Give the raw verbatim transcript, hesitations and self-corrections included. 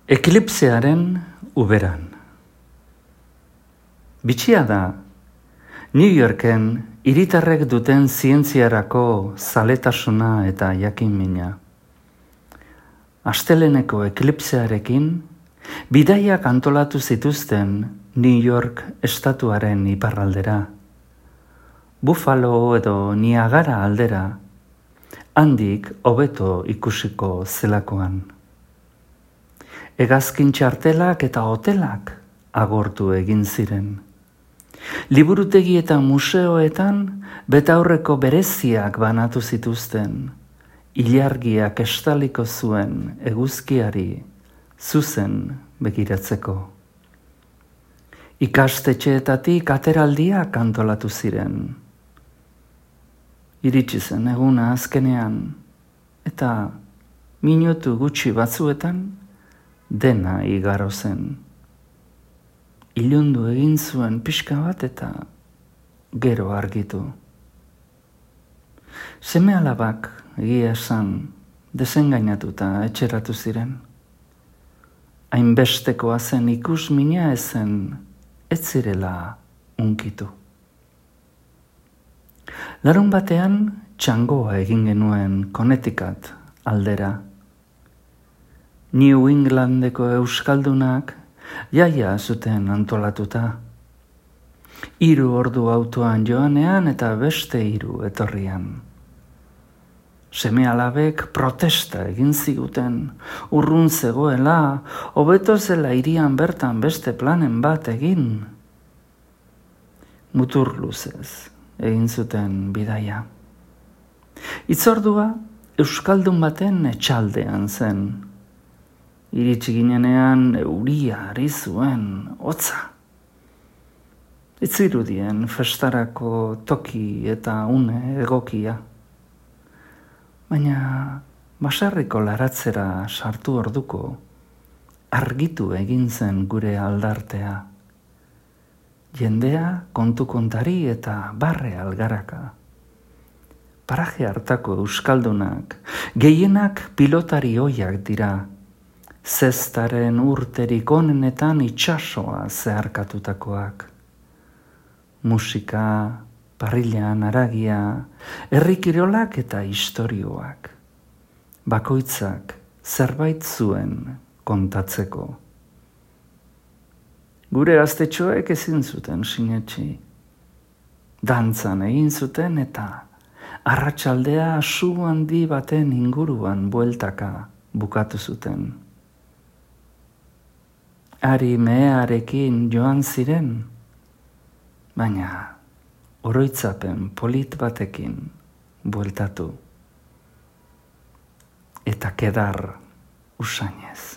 Eklipsearen uberan. Bitxia da, New Yorken hiritarrek duten zientziarako zaletasuna eta jakinmina. Asteleneko eklipsearekin, bidaiak antolatu zituzten New York estatuaren iparraldera, Buffalo edo Niagara aldera, handik hobeto ikusiko zelakoan. Hegazkin txartelak eta hotelak agortu egin ziren. Liburutegi eta museoetan betaurreko bereziak banatu zituzten, ilargiak estaliko zuen eguzkiari zuzen begiratzeko. Ikastetxeetatik ateraldiak antolatu ziren. Iritsi zen eguna azkenean, eta minutu gutxi batzuetan dena igaro zen. Ilundu egin zuen pixka bat eta gero argitu. Seme-alabak egia esan desengainatuta etxeratu ziren. Hainbestekoa zen ikusmina ezen ez zirela unkitu. Larun batean txangoa egin genuen Connecticut aldera. New Englandeko euskaldunak jaia zuten antolatuta. Hiru ordu autoan joanean eta beste hiru etorrian. Seme-alabek protesta egin ziguten, urrun zegoela, hobeto zela hirian bertan beste planen bat egin. Mutur luzez egin zuten bidaia. Itzordua euskaldun baten etxaldean zen. Iritsi ginenean euria ari zuen, hotza. Ez zirudien festarako toki eta une egokia. Baina baserriko laratzera sartu orduko, argitu egin zen gure aldartea. Jendea kontu kontari eta barre algaraka. Paraje hartako euskaldunak, gehienak pilotari ohiak dira, zestaren urterik onenetan itsasoa zeharkatutakoak. Musika, parrilan haragia, herrikirolak eta istorioak. Bakoitzak zerbait zuen kontatzeko. Gure gaztetxoek ezin zuten sinetsi. Dantzan egin zuten eta arratsaldea su handi baten inguruan bueltaka bukatu zuten. Ari mehearekin joan ziren, baina oroitzapen polit batekin bueltatu. Eta kedar usainez.